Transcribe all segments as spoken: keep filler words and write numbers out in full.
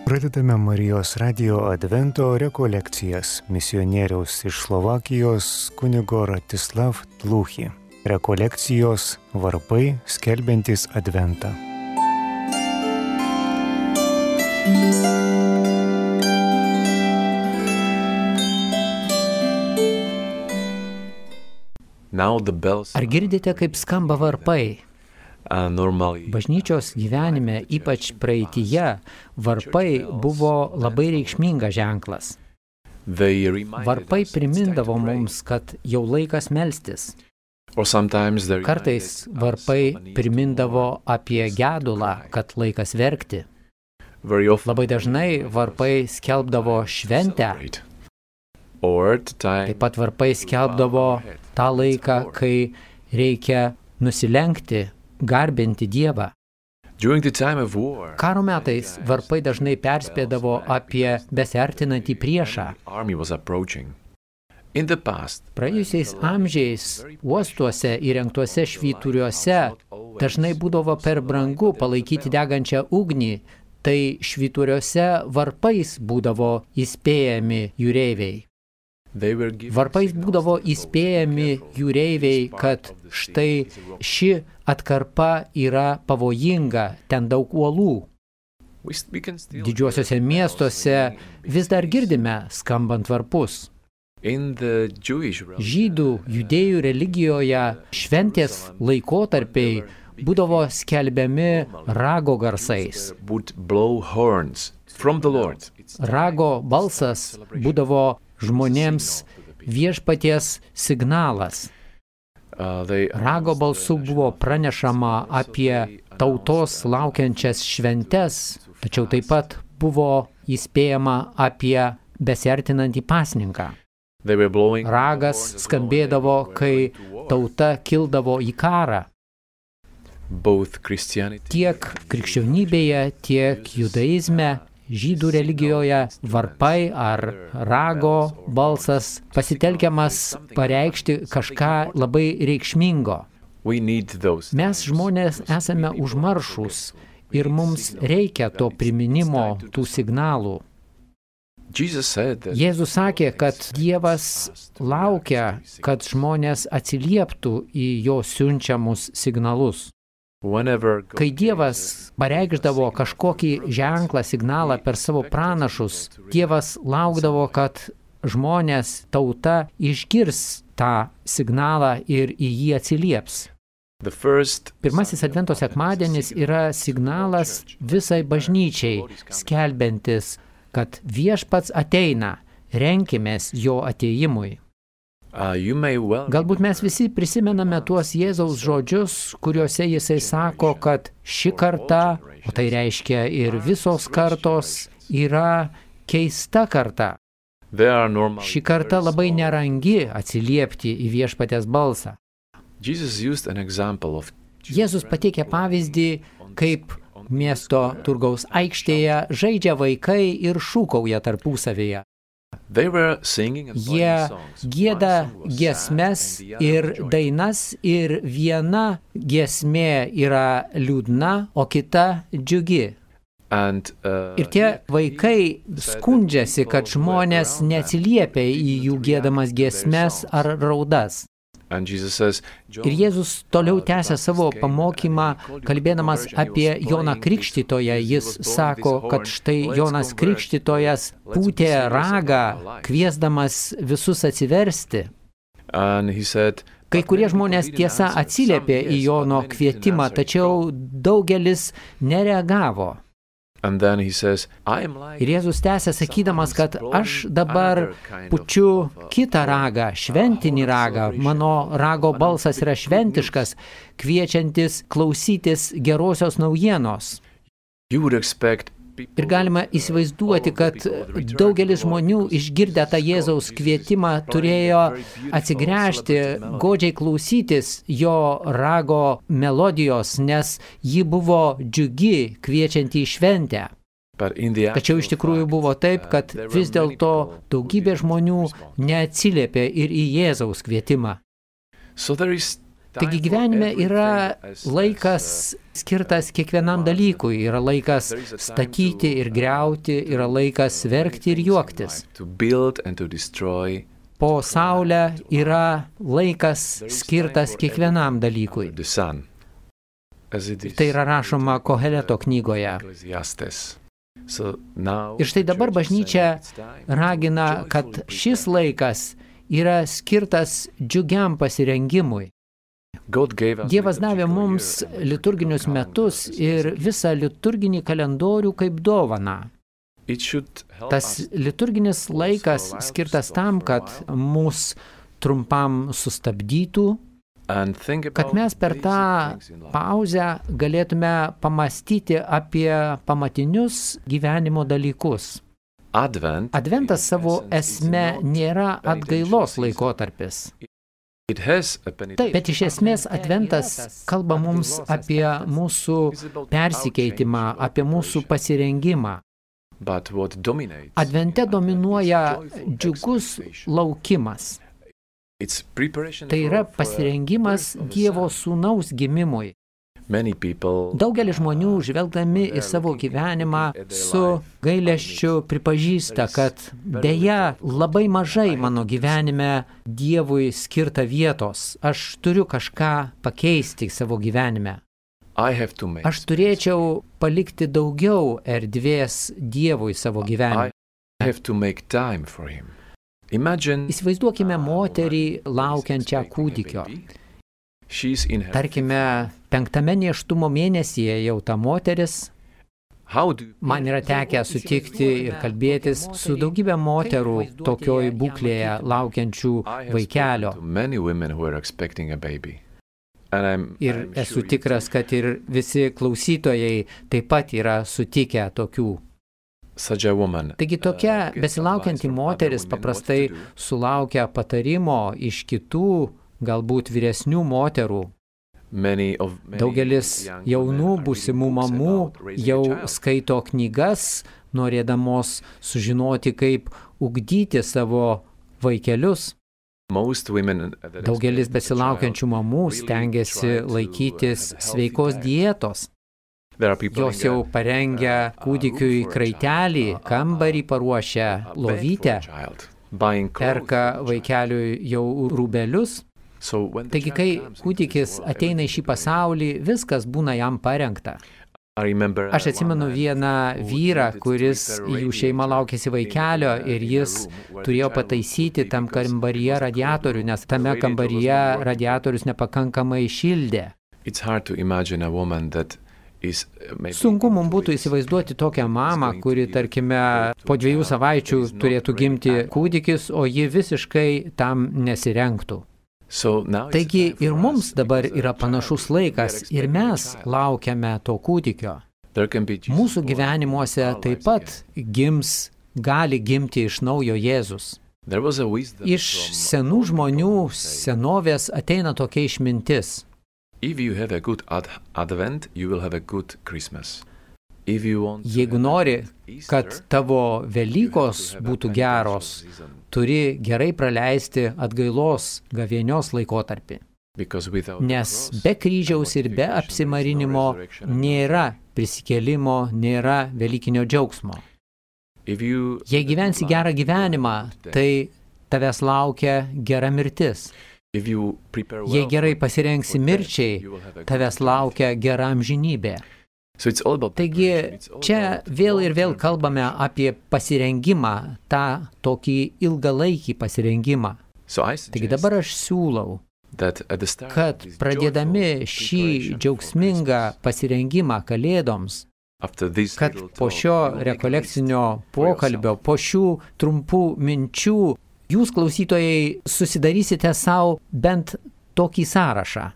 Pradedame Marijos radijo advento rekolekcijas misionieriaus iš Slovakijos kunigo Ratislav Tluchi. Rekolekcijos varpai skelbiantys adventą. Ar girdite, kaip skamba varpai? Bažnyčios gyvenime, ypač praeityje, varpai buvo labai reikšmingas ženklas. Varpai primindavo mums, kad jau laikas melstis. Kartais varpai primindavo apie gedulą, kad laikas verkti. Labai dažnai varpai skelbdavo šventę. Taip pat varpai skelbdavo tą laiką, kai reikia nusilenkti, garbinti Dievą. Karo metais varpai dažnai perspėdavo apie besiartinantį priešą. Praėjusiais amžiais uostuose įrengtuose švyturiuose dažnai būdavo per brangu palaikyti degančią ugnį, tai švyturiuose varpais būdavo įspėjami jūreiviai. Varpais būdavo įspėjami jūreiviai, kad štai ši atkarpa yra pavojinga, ten daug uolų. Didžiuosiuose miestuose vis dar girdime skambant varpus. Žydų judėjų religijoje šventės laikotarpiai būdavo skelbiami rago garsais. Rago balsas būdavo žmonėms viešpaties signalas. Rago balsu buvo pranešama apie tautos laukiančias šventes, tačiau taip pat buvo įspėjama apie besiartinantį pasninką. Ragas skambėdavo, kai tauta kildavo į karą. Tiek krikščionybėje, tiek judaizme, žydų religijoje varpai ar rago balsas pasitelkiamas pareikšti kažką labai reikšmingo. Mes žmonės esame užmaršūs ir mums reikia to priminimo, tų signalų. Jėzus sakė, kad Dievas laukia, kad žmonės atsilieptų į jo siunčiamus signalus. Kai Dievas pareikšdavo kažkokį ženklą, signalą per savo pranašus, Dievas laukdavo, kad žmonės, tauta išgirs tą signalą ir į jį atsilieps. Pirmasis advento sekmadienis yra signalas visai bažnyčiai, skelbiantis, kad viešpats ateina, renkimės jo atėjimui. Galbūt mes visi prisimename tuos Jėzaus žodžius, kuriuose jisai sako, kad ši karta, o tai reiškia ir visos kartos, yra keista karta. Ši karta labai nerangi atsiliepti į viešpaties balsą. Jėzus pateikė pavyzdį, kaip miesto turgaus aikštėje žaidžia vaikai ir šūkauja tarpusavyje. Jie gieda giesmes ir dainas ir viena giesmė yra liūdna, o kita džiugi. Ir tie vaikai skundžiasi, kad žmonės neatsiliepia į jų giedamas giesmes ar raudas. Ir Jėzus toliau tęsia savo pamokymą, kalbėdamas apie Joną Krikštytoją. Jis sako, kad štai Jonas Krikštytojas pūtė ragą, kviesdamas visus atsiversti. Kai kurie žmonės tiesa atsiliepė į Jono kvietimą, tačiau daugelis nereagavo. Ir Jėzus tęsia sakydamas, kad aš dabar pučiu kitą ragą, šventinį ragą. Mano rago balsas yra šventiškas, kviečiantis klausytis gerosios naujienos. Ir galima įsivaizduoti, kad daugelis žmonių išgirdę tą Jėzaus kvietimą turėjo atsigręžti, godžiai klausytis jo rago melodijos, nes ji buvo džiugi, kviečianti į šventę. Tačiau iš tikrųjų buvo taip, kad vis dėlto daugybė žmonių neatsiliepė ir į Jėzaus kvietimą. Taigi gyvenime yra laikas skirtas kiekvienam dalykui, yra laikas statyti ir griauti, yra laikas verkti ir juoktis. Po saulę yra laikas skirtas kiekvienam dalykui. Tai yra rašoma Koheleto knygoje. Ir štai dabar bažnyčia ragina, kad šis laikas yra skirtas džiugiam pasirengimui. Dievas davė mums liturginius metus ir visą liturginį kalendorių kaip dovaną. Tas liturginis laikas skirtas tam, kad mus trumpam sustabdytų, kad mes per tą pauzę galėtume pamastyti apie pamatinius gyvenimo dalykus. Adventas savo esme nėra atgailos laikotarpis. Taip, bet iš esmės adventas kalba mums apie mūsų persikeitimą, apie mūsų pasirengimą. Advente dominuoja džiugus laukimas. Tai yra pasirengimas Dievo sūnaus gimimui. Daugelis žmonių, žvelgdami į savo gyvenimą, su gailesčiu pripažįsta, kad deja labai mažai mano gyvenime Dievui skirta vietos. Aš turiu kažką pakeisti savo gyvenime. Aš turėčiau palikti daugiau erdvės Dievui savo gyvenime. Įsivaizduokime moterį laukiančią kūdikio. Tarkime, penktame nėštumo mėnesyje jau ta moteris. Man yra tekę sutikti ir kalbėtis su daugybė moterų tokioj būklėje laukiančių vaikelio. Ir esu tikras, kad ir visi klausytojai taip pat yra sutikę tokių. Taigi tokia besilaukianti moteris paprastai sulaukia patarimo iš kitų, galbūt vyresnių moterų. Daugelis jaunų būsimų mamų jau skaito knygas, norėdamos sužinoti, kaip ugdyti savo vaikelius. Daugelis besilaukiančių mamų stengiasi laikytis sveikos dietos. Jos jau parengia kūdikiui kraitelį, kambarį paruošia, lovytę, perka vaikeliui jau rūbelius. Taigi, kai kūdikis ateina į šį pasaulį, viskas būna jam parengta. Aš atsimenu vieną vyrą, kuris jų šeima laukėsi vaikelio ir jis turėjo pataisyti tam kambaryje radiatorių, nes tame kambaryje radiatorius nepakankamai šildė. Sunku mums būtų įsivaizduoti tokią mamą, kuri, tarkime, po dviejų savaičių turėtų gimti kūdikis, o ji visiškai tam nesirengtų. Taigi ir mums dabar yra panašus laikas ir mes laukiame to kūdikio. Mūsų gyvenimuose taip pat gims, gali gimti iš naujo Jėzus. Iš senų žmonių senovės ateina tokia išmintis. Jeigu nori, kad tavo Velykos būtų geros, turi gerai praleisti atgailos gavėnios laikotarpį. Nes be kryžiaus ir be apsimarinimo nėra prisikėlimo, nėra velykinio džiaugsmo. Jei gyvensi gerą gyvenimą, tai tavęs laukia gera mirtis. Jei gerai pasirengsi mirčiai, tavęs laukia gera amžinybė. Taigi čia vėl ir vėl kalbame apie pasirengimą, tą tokį ilgalaikį pasirengimą. Taigi dabar aš siūlau, kad pradėdami šį džiaugsmingą pasirengimą Kalėdoms, kad po šio rekolekcinio pokalbio, po šių trumpų minčių, jūs, klausytojai, susidarysite savo bent tokį sąrašą.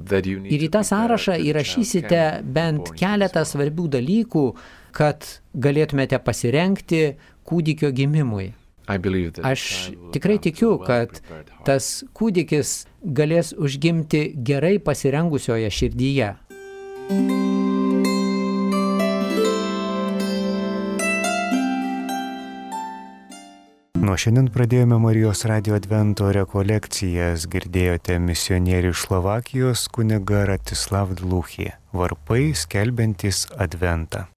Ir į tą sąrašą įrašysite bent keletą svarbių dalykų, kad galėtumėte pasirengti kūdikio gimimui. Aš tikrai tikiu, kad tas kūdikis galės užgimti gerai pasirengusioje širdyje. Nuo šiandien pradėjome Marijos radijo advento rekolekcijas, girdėjote misionierių iš Slovakijos kunigą Ratislav Dluchį, varpai skelbiantys adventą.